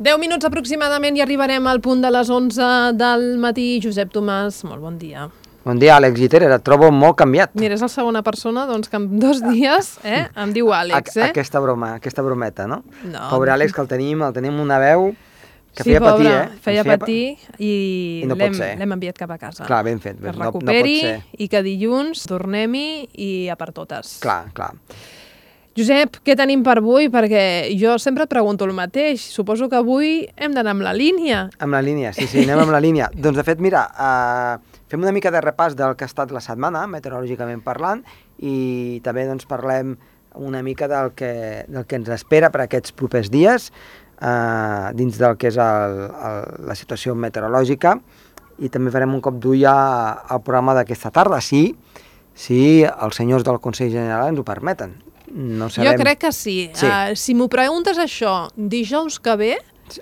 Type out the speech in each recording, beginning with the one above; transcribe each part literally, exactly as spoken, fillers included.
deu minuts aproximadament i arribarem al punt de les onze del matí. Josep Tomàs, molt bon dia. Bon dia, Àlex Giteres, et trobo molt canviat. Mira, és la segona persona doncs, que en dos dies eh, em diu Àlex. Eh? Aquesta broma, aquesta brometa, no? No. Pobre Àlex, que el tenim, el tenim una veu que sí, feia pobre, patir, eh? feia feia patir i, I no l'hem enviat cap a casa. Clar, ben fet. Que es no, recuperi no pot ser. I que dilluns tornem-hi i a per totes. Clar, clar. Josep, què tenim per avui? Perquè jo sempre et pregunto el mateix. Suposo que avui hem d'anar amb la línia. Amb la línia, sí, sí, anem amb la línia. Doncs, de fet, mira, uh, fem una mica de repàs del que ha estat la setmana, meteorològicament parlant, i també doncs, parlem una mica del que, del que ens espera per aquests propers dies, uh, dins del que és el, el, la situació meteorològica, i també farem un cop d'ull al programa d'aquesta tarda, sí, si els senyors del Consell General ens ho permeten. No sabem... Jo crec que sí. sí. Uh, si m'ho preguntes això, dijous que ve...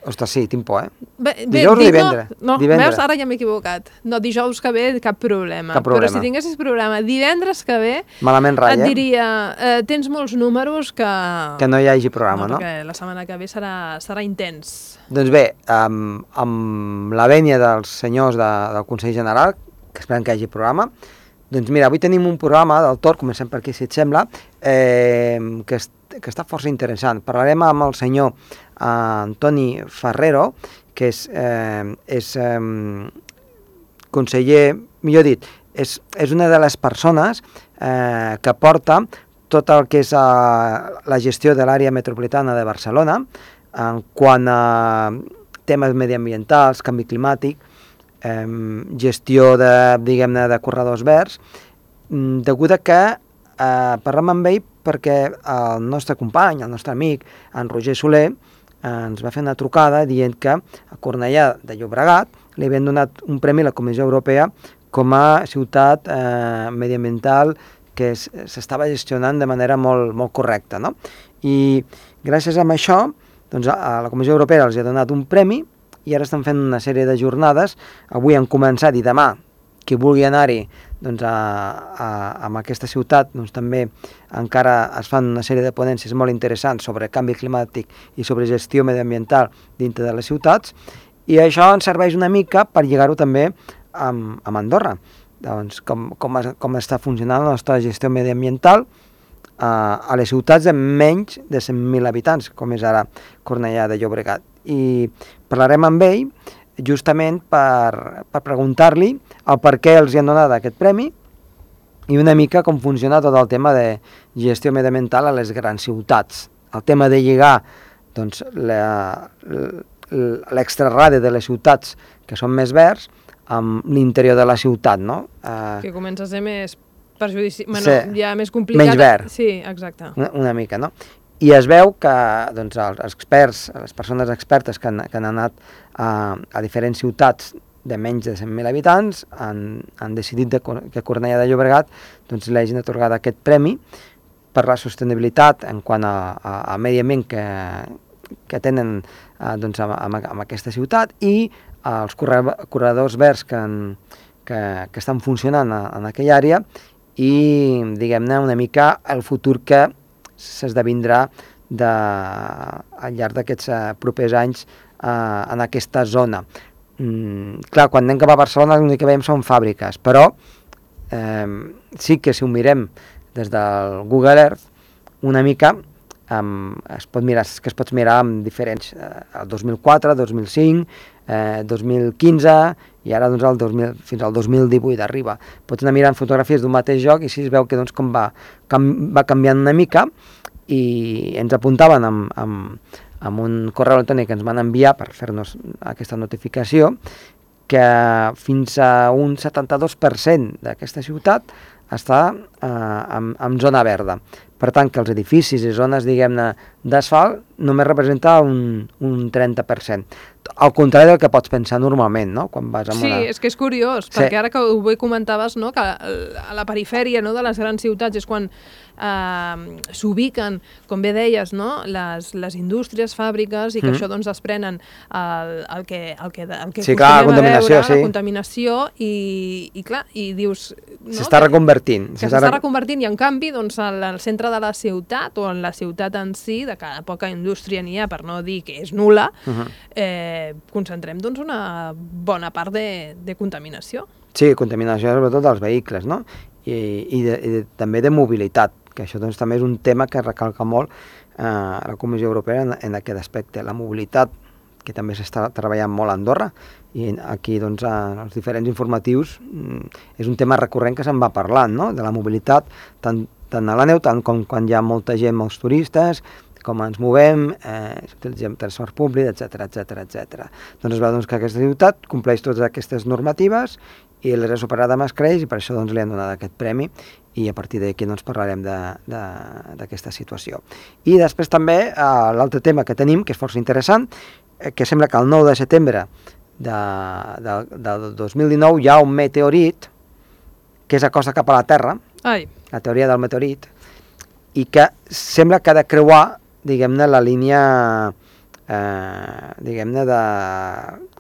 Ostres, sí, tinc por, eh? Bé, dijous bé, o divendres? No, no divendres. Veus, ara ja m'he equivocat. No, dijous que ve, cap problema. Cap problema. Però si tinguessis programa divendres que ve, malament ratlla, et diria, eh, tens molts números que... Que no hi hagi programa, no? No, perquè la setmana que ve serà, serà intens. Doncs bé, amb, amb la vènia dels senyors de, del Consell General, que esperem que hi hagi programa, doncs mira, avui tenim un programa del Tor, comencem per aquí si et sembla, eh, que, est, que està força interessant. Parlarem amb el senyor eh, Antoni Ferrero, que és, eh, és eh, conseller, millor dit, és, és una de les persones eh, que porta tot el que és eh, la gestió de l'àrea metropolitana de Barcelona, en quant a temes mediambientals, canvi climàtic, Eh, gestió de, diguem-ne, de corredors verds, degut a que eh, parlem amb ell perquè el nostre company, el nostre amic, en Roger Soler, eh, ens va fer una trucada dient que a Cornellà de Llobregat li havien donat un premi a la Comissió Europea com a ciutat eh, mediambiental que s'estava gestionant de manera molt, molt correcta, no? I gràcies a això, doncs, a la Comissió Europea els ha donat un premi i ara estan fent una sèrie de jornades. Avui han començat i demà, qui vulgui anar-hi doncs, a, a, a aquesta ciutat, doncs, també encara es fan una sèrie de ponències molt interessants sobre canvi climàtic i sobre gestió mediambiental dintre de les ciutats, i això ens serveix una mica per lligar-ho també amb, amb Andorra, doncs, com, com, com està funcionant la nostra gestió mediambiental a, a les ciutats de menys de cent mil habitants, com és ara Cornellà de Llobregat. I parlarem amb ell justament per, per preguntar-li el per què els hi han donat aquest premi i una mica com funciona tot el tema de gestió mediambiental a les grans ciutats. El tema de lligar doncs, l'extraradi de les ciutats que són més verds amb l'interior de la ciutat, no? Uh, que comença a ser més perjudici... Bueno, sí, ja més complicat. Menys verd. Sí, exacte. Una, una mica, no? I es veu que doncs, els experts, les persones expertes que han, que han anat a, a diferents ciutats de menys de cent mil habitants han, han decidit de, que Cornellà de Llobregat doncs, li hagin atorgat aquest premi per la sostenibilitat en quant a, a, a medi ambient que, que tenen eh, doncs, amb, amb, amb aquesta ciutat i els corredors verds que, han, que, que estan funcionant a, en aquella àrea i, diguem-ne, una mica el futur que s'esdevindrà de, al llarg d'aquests uh, propers anys uh, en aquesta zona. Mm, clar, quan anem cap a Barcelona l'únic que veiem són fàbriques, però eh, sí que si ho mirem des del Google Earth, una mica um, es pot mirar, que es pot mirar amb diferents, eh, el dos mil quatre, dos mil cinc, eh, dos mil quinze i ara doncs, el dos mil, fins al dos mil divuit arriba. Pots anar mirant fotografies d'un mateix joc i així es veu que doncs, com va, com va canviant una mica i ens apuntaven amb, amb, amb un correu electrònic que ens van enviar per fer-nos aquesta notificació que fins a un setanta-dos per cent d'aquesta ciutat està eh, en, en zona verda. Per tant, que els edificis i zones, diguem-ne, d'asfalt només representa un, un trenta per cent. Al contrari del que pots pensar normalment, no? Quan vas amb sí, una... és que és curiós, sí. Perquè ara que ho comentaves, no? Que a la perifèria, no? De les grans ciutats és quan eh, s'ubiquen, com bé deies, no? les, les indústries, fàbriques, i que mm. això doncs, desprenen el, el que, el que, el que sí, clar, la contaminació, veure, sí. la contaminació, i, i clar, i dius... No? S'està reconvertint reconvertint. Que s'està reconvertint i, en canvi, doncs, al centre de la ciutat o en la ciutat en si, de cada poca indústria n'hi ha, per no dir que és nul·la, uh -huh. eh, concentrem doncs, una bona part de, de contaminació. Sí, contaminació sobretot dels vehicles, no? I, i, de, i de, també de mobilitat, que això doncs, també és un tema que recalca molt eh, la Comissió Europea en, en aquest aspecte. La mobilitat, que també s'està treballant molt a Andorra, i aquí doncs, en els diferents informatius és un tema recurrent que se'n va parlant, no? De la mobilitat, tant, tant a la neu, tant com quan hi ha molta gent, molts turistes, com ens movem, eh, utilitzem transport públic, etcètera, etcètera, etcètera. Doncs es veu doncs, que aquesta ciutat compleix totes aquestes normatives i l'era superada amb escreix, i per això doncs, li han donat aquest premi, i a partir d'aquí doncs, parlarem d'aquesta situació. I després també eh, l'altre tema que tenim, que és força interessant, eh, que sembla que el nou de setembre de, de, de dos mil dinou hi ha un meteorit que és acosta cap a la Terra, Ai. la teoria del meteorit, i que sembla que ha de creuar, diguem-ne, la línia eh, diguem-ne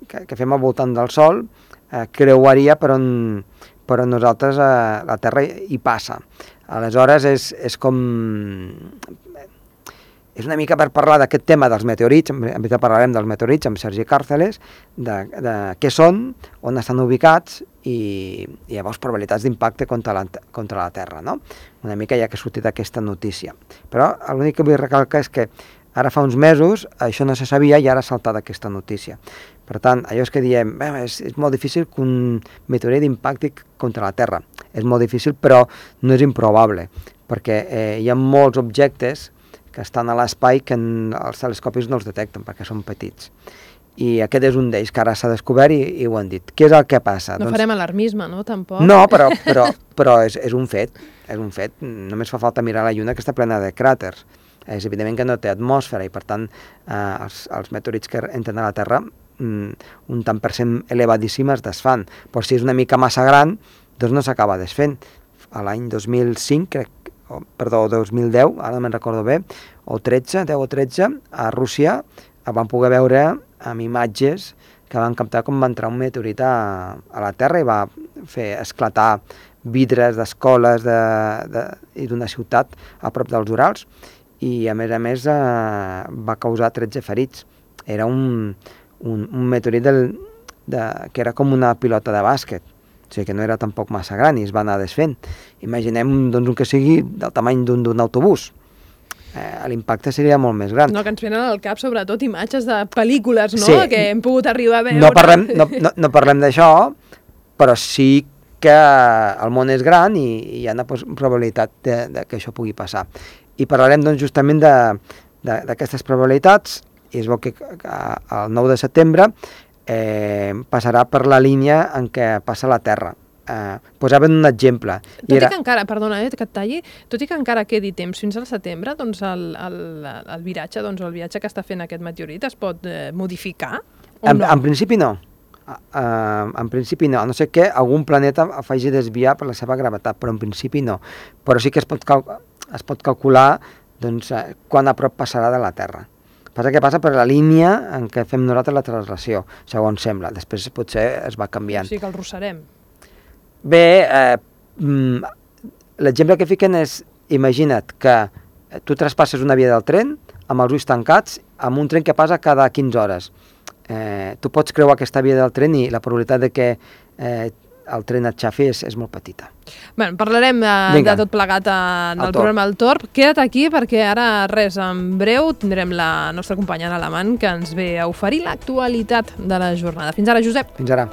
que, que fem al voltant del Sol, eh, creuaria per on, per on nosaltres eh, la Terra hi passa. Aleshores és, és com... És una mica per parlar d'aquest tema dels meteorits, en veritat parlarem dels meteorits amb Sergi Càrceles, de, de què són, on estan ubicats i, i llavors probabilitats d'impacte contra, la, contra la Terra, no? Una mica ja que ha sortit aquesta notícia. Però l'únic que vull recalcar és que ara fa uns mesos això no se sabia i ara ha saltat aquesta notícia. Per tant, allò és que diem, bé, és, és molt difícil que un meteorit impacti contra la Terra. És molt difícil, però no és improbable, perquè eh, hi ha molts objectes que estan a l'espai que en els telescopis no els detecten perquè són petits. I aquest és un d'ells que ara s'ha descobert i, i ho han dit. Què és el que passa? No doncs... farem alarmisme, no? Tampoc. No, però, però, però és, és un fet. És un fet. Només fa falta mirar la Lluna, que està plena de cràters. És evident que no té atmosfera i, per tant, eh, els, els meteorits que entren a la Terra mm, un tant per cent elevadíssim es desfan. Però si és una mica massa gran, doncs no s'acaba desfent. A l'any dos mil cinc, crec, o, perdó, dos mil deu, ara no me'n recordo bé, o tretze, deu o tretze, a Rússia van poder veure amb imatges que van captar com va entrar un meteorit a, a la Terra i va fer esclatar vidres d'escoles de, de, i d'una ciutat a prop dels Urals, i a més a més eh, va causar tretze ferits. Era un, un, un meteorit del, de, que era com una pilota de bàsquet, o sigui que no era tampoc massa gran i es va anar desfent. Imaginem doncs, un que sigui del tamany d'un autobús. Eh, l'impacte seria molt més gran. No, que ens venen al cap sobretot imatges de pel·lícules, no?, sí. que hem pogut arribar a veure. No parlem, no, no, no parlem d'això, però sí que el món és gran i, i hi ha una probabilitat de, de que això pugui passar. I parlarem doncs, justament d'aquestes probabilitats, i es veu que el nou de setembre eh, passarà per la línia en què passa la Terra. Eh, posaven un exemple. Tot i, era... i que encara, perdona, eh, que et talli, tot i que encara quedi temps fins al setembre, doncs el, el, el viratge, doncs el viatge que està fent aquest meteorit es pot eh, modificar? En, no? en principi no. Uh, en principi no, a no ser que algun planeta faci desviar per la seva gravetat, però en principi no. Però sí que es pot, cal es pot calcular doncs, uh, quan a prop passarà de la Terra. Passa que passa per la línia en què fem nosaltres la translació, segons sembla. Després potser es va canviant. O sigui que el rossarem. Bé, eh, l'exemple que fiquen és, imagina't que tu traspasses una via del tren amb els ulls tancats, amb un tren que passa cada quinze hores. Eh, tu pots creuar aquesta via del tren i la probabilitat de que eh, el tren et xafi és, és molt petita. Bé, parlarem de, de tot plegat en el, el programa El Torb. Queda't aquí perquè ara, res, en breu tindrem la nostra companya Ana Alamant que ens ve a oferir l'actualitat de la jornada. Fins ara, Josep. Fins ara.